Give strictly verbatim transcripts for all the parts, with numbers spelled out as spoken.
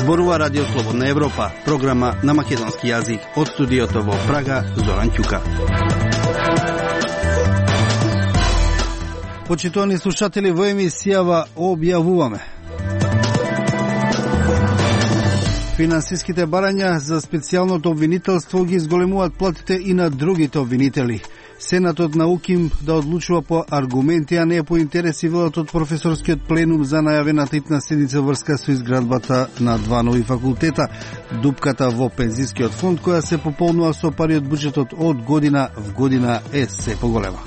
Зборува Радио Слободна Европа, програма на македонски јазик. Од студиото во Прага, Зоран Ќука. Почитувани слушатели, во емисијава објавуваме: финансиските барања за специјалното обвинителство ги изголемуваат платите и на другите обвинители. Сенатот на УКИМ да одлучува по аргументи, а не по интереси, велат од професорскиот пленум за најавената итна седница врска со изградбата на два нови факултета. Дупката во пензискиот фонд, која се пополнува со пари од буџетот од година в година, е се поголема.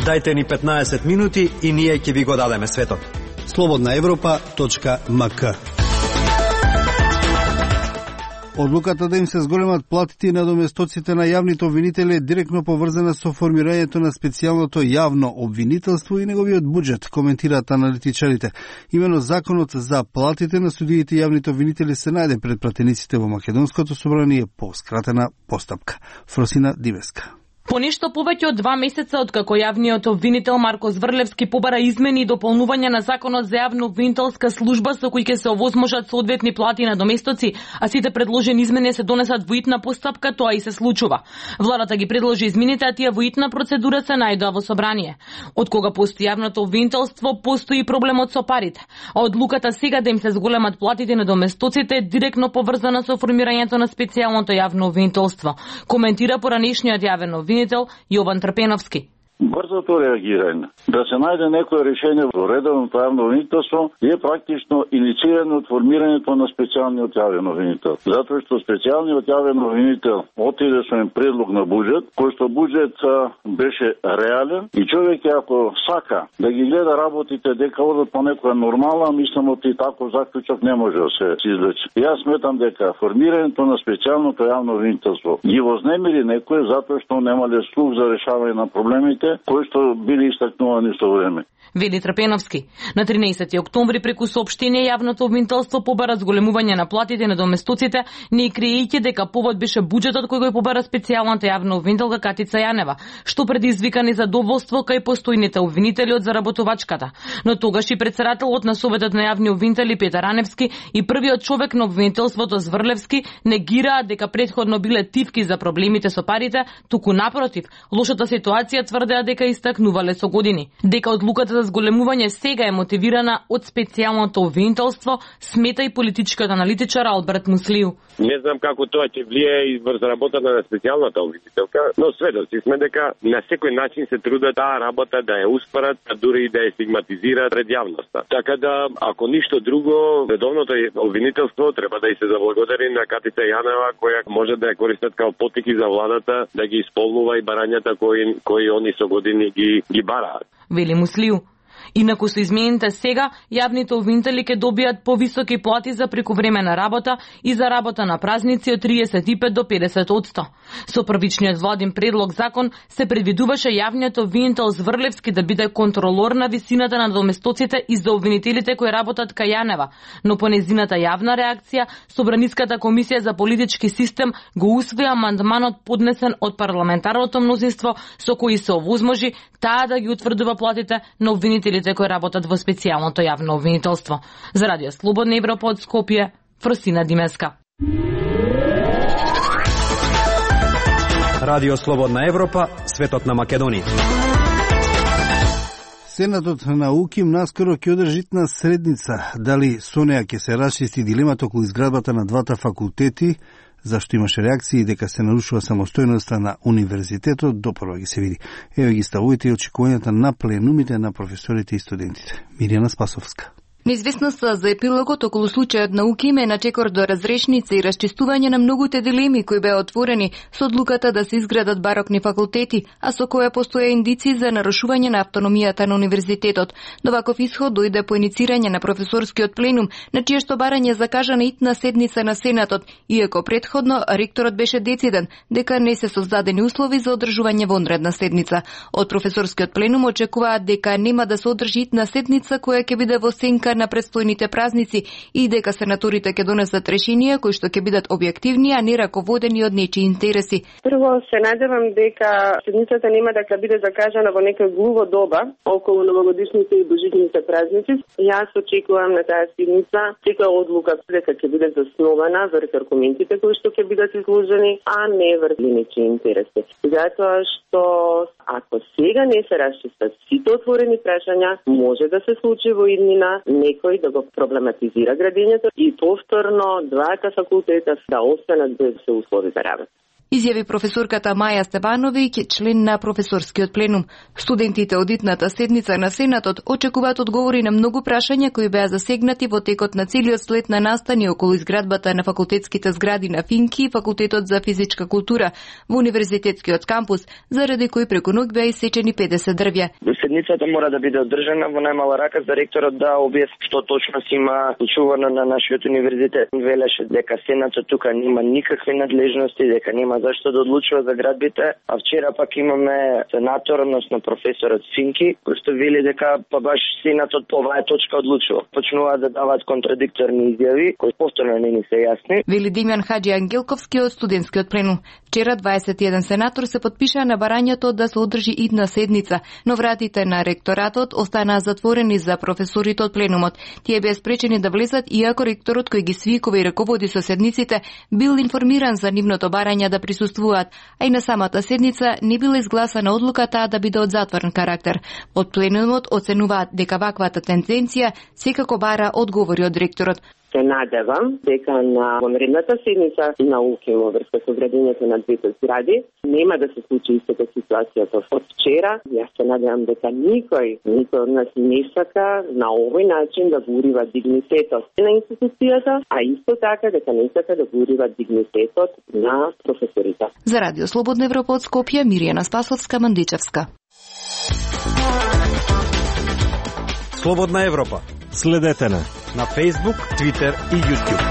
Дајте ни петнаесет минути и ние ќе ви го дадеме светот. слободна европа точка ем ка. Одлуката да им се зголемат платите и надоместоците на јавните обвинители е директно поврзана со формирањето на специјалното јавно обвинителство и неговиот буџет, коментираат аналитичарите. Имено законот за платите на судиите и јавните обвинители се најде пред пратениците во Македонското собрание по скратена постапка. Фросина Дивеска. По нешто повеќе од два месеца откако јавниот обвинител Марко Зврлевски побара измени и дополнување на законот за јавно обвинителска служба со кои ќе се овозможат соодветни плати на доместоци, а сите предложени измени се донесат во итна постапка, тоа и се случува. Владата ги предложи измените, а тие во итна процедура се најдоа во собрание. Од кога постои јавното обвинителство, постои проблемот со парите. А одлуката сега да им се зголемат платите на доместоците е директно поврзана со формирањето на специјалното јавно обвинителство, коментира поранешниот јавен обвинител Јован Трпеновски. Брзото реагирање, да се најде некое решение во редовното јавно обвинителство е практично инициирано од формирањето на специјалниот јавен обвинител. Затоа што специјалниот јавен обвинител отиде со еден предлог на буџет, кој што буџет беше реален и човек ако сака да ги гледа работите дека одат по некоја нормална, мислам од и таков заклучок не може да се извлече. Јас сметам дека формирањето на специјалното јавно обвинителство ги вознемири некој затоа што немале слух за решавање на проблемите кои што били истакнувани со време. Вели Трпеновски. На тринаесети октомври преку соопштение јавното обвинителство побара зголемување на платите на доместоците, не криејќи дека повод беше буџетот кој го побара специјалната јавна обвинителка Катица Јанева, што предизвика незадоволство кај постојните обвинители од заработувачката. Но тогаш и председателот на Советот на јавни обвинители Петар Аневски и првиот човек на обвинителството Зврлевски негираат дека претходно биле тивки за проблемите со парите, туку напротив, лошата ситуација тврдеа дека истакнувале со години. Дека одлуката за зголемување сега е мотивирана од специјалното обвинителство, смета и политичкиот аналитичар Алберт Муслиу. Не знам како тоа ќе влие и врз работата на специјалната обвинителка, но сведоци сме дека на секој начин се трудат таа работа да ја успорат, а дури и да ја стигматизираат пред јавноста. Така да, ако ништо друго, редовното обвинителство треба да и се заблагодари на Катица Јанева, која може да ја користат како потики за владата да ги исполнува и барањата кои кои они со години ги ги бараат. Вели Муслиу. Инаку со измените сега, јавните обвинители ќе добијат повисоки плати за прекувремена работа и за работа на празници од триесет и пет до педесет одсто. Со првичниот владин предлог закон се предвидуваше јавниот обвинител Зврлевски да биде контролор на висината на доместоците и за обвинителите кои работат кај Јанева, но по незината јавна реакција, Собраниската комисија за политички систем го усвои амандманот поднесен од парламентарното мнозинство со кој се овозможи таа да ги утврдува платите на обвинителите кои работат во специјалното јавно обвинителство. За Радио Слободна Европа од Скопје, Фросина Димеска. Радио Слободна Европа, светот на Македонија. Сенатот на УКИМ наскоро ќе одржи итна средница. Дали со неа ќе се расчисти дилемата околу изградбата на двата факултети, зашто имаше реакции дека се нарушува самостојноста на универзитетот, допрва ги се види. Еве ги ставувате и очекувањата на пленумите на професорите и студентите. Мирјана Спасовска. Неизвестноста за епилогот околу случајот на УКИМ е на чекор до разрешница и расчистување на многуте дилеми кои беа отворени со одлуката да се изградат барокни факултети, а со која постоја индици за нарушување на автономијата на универзитетот. Но ваков исход дојде по иницирање на професорскиот пленум, на чие што барање закажана итна седница на Сенатот, иако претходно ректорот беше дециден дека не се создадени услови за одржување вонредна седница. Од професорскиот пленум очекуваат дека нема да се одржи итна седница која ќе биде во сенка прилика на предстојните празници и дека сенаторите ќе донесат решенија кои што ќе бидат објективни, а не раководени од нечии интереси. Прво се надевам дека седницата нема да биде закажана во некој глуво доба околу новогодишните и божичните празници. Јас очекувам на таа седница секоја одлука дека ќе биде заснована врз аргументите кои што ќе бидат изложени, а не врз нечии интереси. Затоа што ако сега не се расчистат сите отворени прашања, може да се случи во иднина некој да го проблематизира градењето и повторно дваата факултета да останат без се услови за работа. Изјави професорката Маја Стебановиќ, член на професорскиот пленум. Студентите од итната седница на Сенатот очекуваат одговори на многу прашања кои беа засегнати во текот на целиот след на настани околу изградбата на факултетските згради на Финки и Факултетот за физичка култура во универзитетскиот кампус, заради кои преку ноќ беа исечени педесет дрвја. Седницата мора да биде одржана во најмала рака за ректорот да објасни што точно си има случувано на нашиот универзитет. Велеше дека Сенатот тука нема никакви надлежности, дека нема зашто да одлучува за градбите, а вчера пак имаме сенатор, односно професорот Финки, кој што вели дека па баш Сенатот по оваа точка одлучува. Почнуваат да даваат контрадикторни изјави, кои повторно не ни се јасни. Вели Димјан Хаџи Ангелковски од студентскиот пленум. Вчера дваесет и еден сенатор се потпишаа на барањето да се одржи идна седница, но вратите на ректоратот останаа затворени за професорите од пленумот. Тие беа спречени да влезат, иако ректорот кој ги свикува и раководи со седниците бил информиран за нивното барање да присуствуваат, а и на самата седница не била изгласана одлуката да биде од затворен карактер. Од пленумот оценуваат дека ваквата тенденција секако бара одговори од ректорот. Се надевам дека на вонредната седница на УКИМ во врска со градењето на двете згради нема да се случи истата ситуација како од вчера. Јас се надевам дека никој, никој од нас не сака на овој начин да го урива дигнитетот на институцијата, а исто така дека не сака да го урива дигнитетот на професорите. За Радио Слободна Европа од Скопје, Миријана Спасовска, Мандичевска. Слободна Европа. Следете на на Facebook, Twitter и YouTube.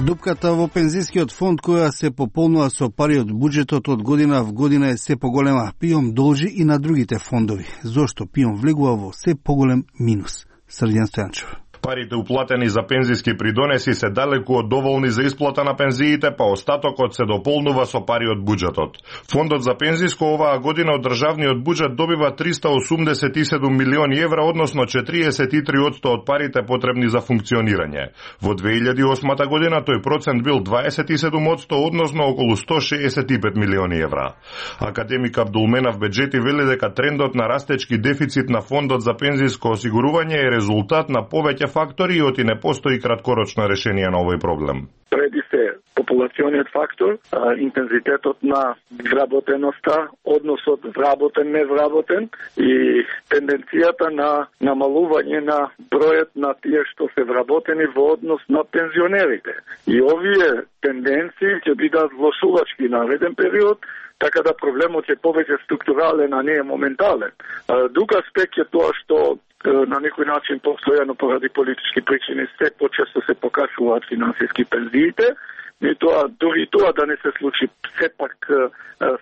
Дупката во пензискиот фонд која се пополнува со пари од буџетот од година в година е се поголема. ПИОМ должи и на другите фондови. Зошто ПИОМ влегува во се поголем минус? Срдјан Стојанчев. Парите уплатени за пензиски придонеси се далеку од доволни за исплата на пензиите, па остатокот се дополнува со пари од буџетот. Фондот за пензиско оваа година од државниот буџет добива триста осумдесет и седум милиони евра, односно четириесет и три одсто од парите потребни за функционирање. Во две илјади и осма година тој процент бил дваесет и седум одсто, односно околу сто шеесет и пет милиони евра. Академик Абдулменав Беџети вели дека трендот на растечки дефицит на фондот за пензиско осигурување е резултат на повеќе фактори и оти не постои краткорочно решение на овој проблем. Преди се популациониот фактор, а, интензитетот на вработеноста, односот вработен-невработен и тенденцијата на намалување на бројот на тие што се вработени во однос на пензионерите. И овие тенденции ќе бидат влошувачки нареден период, така да проблемот е повеќе структурален, а не е моментален. Друг аспект е тоа што на некој начин постојано поради политички причини се почесто се покачуваат финансиски пензиите, и тоа, дори тоа да не се случи, сепак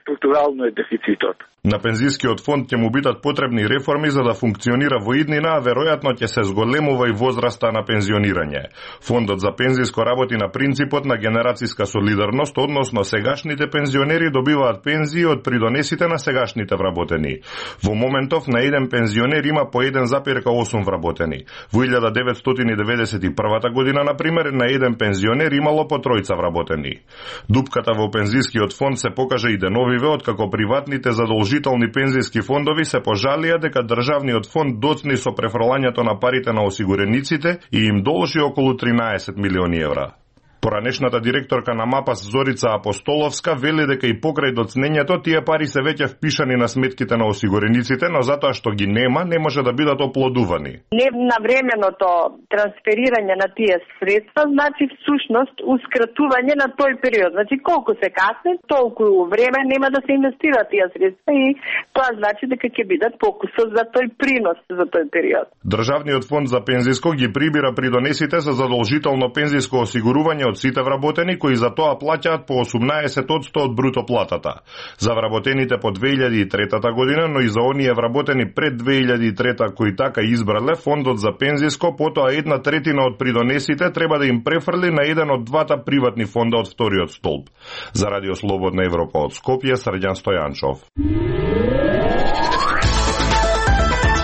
структурално е дефицитот. На пензискиот фонд ќе му бидат потребни реформи за да функционира во иднина, а веројатно ќе се зголемува и возраста на пензионирање. Фондот за пензиско работи на принципот на генерацијска солидарност, односно сегашните пензионери добиваат пензии од придонесите на сегашните вработени. Во моментов на еден пензионер има по еден запир осум вработени. Во илјада деветстотини деветдесет и прва година, например, на еден пензионер имало по тројца вработени. Дупката во пензискиот фонд се покажа и деновиве, откако приватните задолжителни пензиски фондови се пожалија дека државниот фонд доцни со префрлањето на парите на осигурениците и им должи околу тринаесет милиони евра. Поранешната директорка на МАПАС Зорица Апостоловска вели дека и покрај доцнењето тие пари се веќе впишани на сметките на осигурениците, но затоа што ги нема, не може да бидат оплодувани. Невнавременото трансферирање на тие средства значи всушност ускратување на тој период. Значи колку се касне, толку време нема да се инвестира тие средства и тоа значи дека ќе бидат покусот за тој принос за тој период. Државниот фонд за пензиско ги прибира придонесите за задолжително пензиско осигурување од сите вработени кои за тоа плаќаат по осумнаесет одсто од бруто платата. За вработените по две илјади и трета година, но и за оние вработени пред две илјади и трета кои така избрале, фондот за пензиско, потоа една третина од придонесите треба да им префрли на еден од двата приватни фонда од вториот столб. За Радио Слободна Европа од Скопје, Срđan Стојанчов.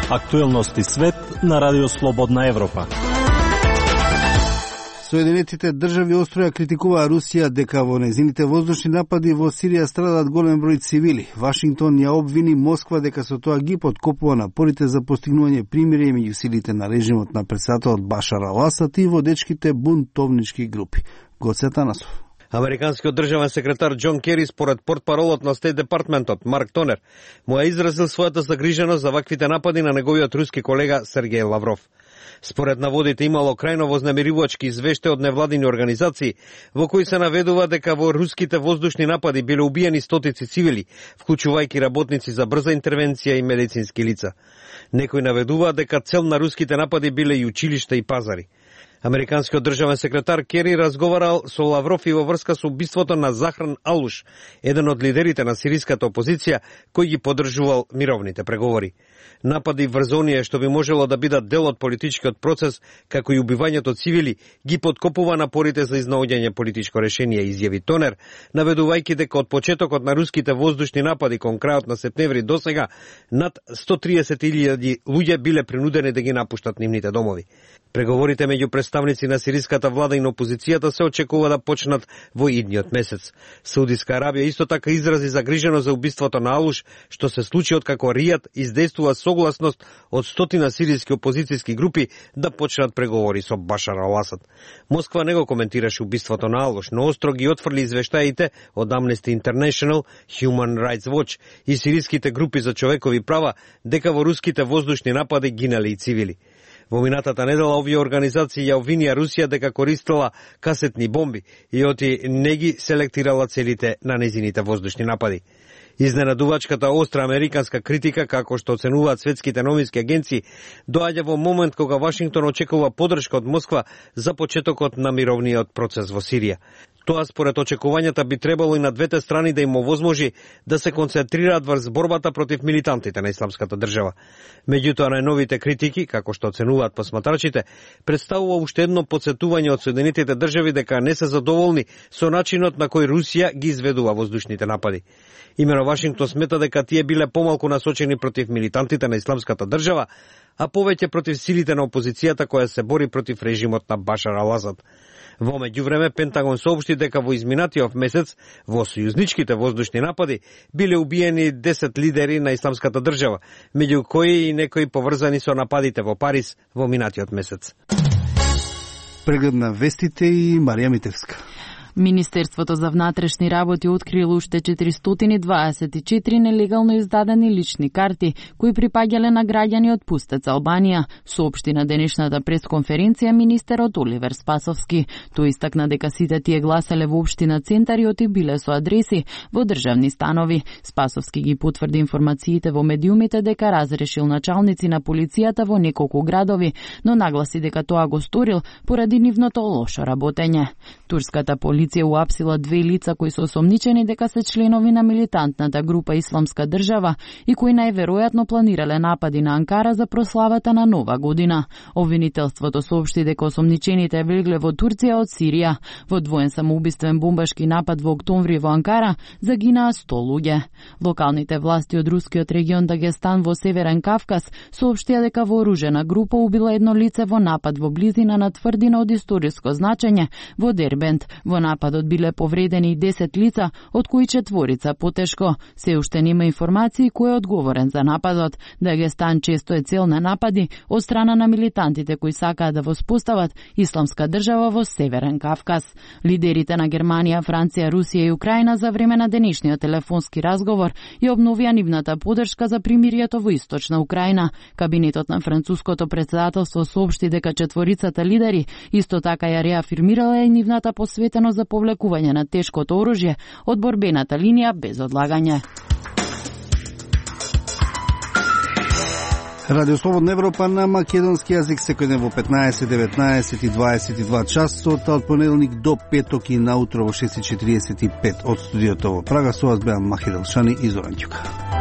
Актуелности свет на Радио Слободна Европа. Соединетите држави остро ја критикуваа Русија дека во нејзините воздушни напади во Сирија страдат голем број цивили. Вашингтон ја обвини Москва дека со тоа ги подкопува напорите за постигнување примирие меѓу силите на режимот на председателот Башар ал-Асад и водечките бунтовнички групи. Гоце Танасов. Американскиот државен секретар Џон Кери според портпаролот на Стейт департментот Марк Тонер му ја изразил својата загриженост за ваквите напади на неговиот руски колега Сергеј Лавров. Според наводите имало крајно вознемирувачки извеште од невладини организации во кои се наведува дека во руските воздушни напади биле убиени стотици цивили, вклучувајќи работници за брза интервенција и медицински лица. Некои наведуваат дека цел на руските напади биле и училишта и пазари. Американскиот државен секретар Кери разговарал со Лавров и во врска со убиството на Захран Алуш, еден од лидерите на сириската опозиција кој ги поддржувал мировните преговори. Напади врз оние што би можело да бидат дел од политичкиот процес, како и убивањето цивили, ги подкопува напорите за изнаоѓање политичко решение, изјави Тонер, наведувајќи дека од почетокот на руските воздушни напади кон крајот на септември досега над сто триесет илјади луѓе биле принудени да ги напуштат нивните домови. Преговорите меѓу представници на сириската влада и на опозицијата се очекува да почнат во идниот месец. Саудиска Арабија исто така изрази загриженост за убиството на Алуш, што се случи откако Ријад издействува согласност од стотина сириски опозицијски групи да почнат преговори со Башар ал-Асад. Москва не го коментираше убиството на Алуш, но остро ги отфрли извештаите од Amnesty International, Human Rights Watch и сириските групи за човекови права дека во руските воздушни напади гинале и цивили. Во минатата недела овие организации ја обвинија Русија дека користела касетни бомби и оти не ги селектирала целите на незините воздушни напади. Изненадувачката остра американска критика, како што оценуваат светските новински агенции, доаѓа во момент кога Вашингтон очекува поддршка од Москва за почетокот на мировниот процес во Сирија. Тоа според очекувањата би требало и на двете страни да им овозможи да се концентрираат врз борбата против милитантите на исламската држава. Меѓутоа, најновите критики, како што оценуваат посматрачите, представува уште едно потсетување од Соединетите држави дека не се задоволни со начинот на кој Русија ги изведува воздушните напади. Имено Вашингтон смета дека тие биле помалку насочени против милитантите на исламската држава, а повеќе против силите на опозицијата која се бори против режимот на Башар ал-Асад. Во меѓувреме, Пентагон соопшти дека во изминатиот месец во сојузничките воздушни напади биле убиени десет лидери на исламската држава, меѓу кои и некои поврзани со нападите во Париз во минатиот месец. Преглед на вестите и Марија Митевска. Министерството за внатрешни работи открило уште четиристотини дваесет и четири нелегално издадени лични карти кои припаѓале на граѓани од пустец Албанија, соопшти на денешната пресконференција министерот Оливер Спасовски. Тој истакна дека сите тие гласеле во општина Центар и оти биле со адреси во државни станови. Спасовски ги потврди информациите во медиумите дека разрешил началници на полицијата во неколку градови, но нагласи дека тоа го сторил поради нивното лошо работење. Турската полиција Полиција уапсила две лица кои се осомничени дека се членови на милитантната група Исламска држава и кои најверојатно планирале напади на Анкара за прославата на Нова година. Обвинителството соопшти дека осомничените влегле во Турција од Сирија. Во двоен самоубиствен бомбашки напад во октомври во Анкара загинаа сто луѓе. Локалните власти од рускиот регион Дагестан во Северен Кавказ соопштија дека вооружена група убила едно лице во напад во близина на тврдина од историско значење во Дербент. Во нападот биле повредени и десет лица, од кои четворица потешко. Се уште нема информации кој е одговорен за нападот. Дагестан често е цел на напади од страна на милитантите кои сакаат да воспостават исламска држава во Северен Кавказ. Лидерите на Германија, Франција, Русија и Украина за време на денешниот телефонски разговор и обновија нивната поддршка за примирието во Источна Украина. Кабинетот на француското председателство соопшти дека четворицата лидери исто така ја реафирмирала и нивната посветеност за повлекување на тешкото оружје од борбената линија без одлагање. Радио Слободна Европа на македонски јазик секој ден во петнаесет, деветнаесет и дваесет и два часот, од понеделник до петок и наутро во шест и четириесет и пет од студиото во Прага. Со вас беа Махир Елшани и Зоран Ќука.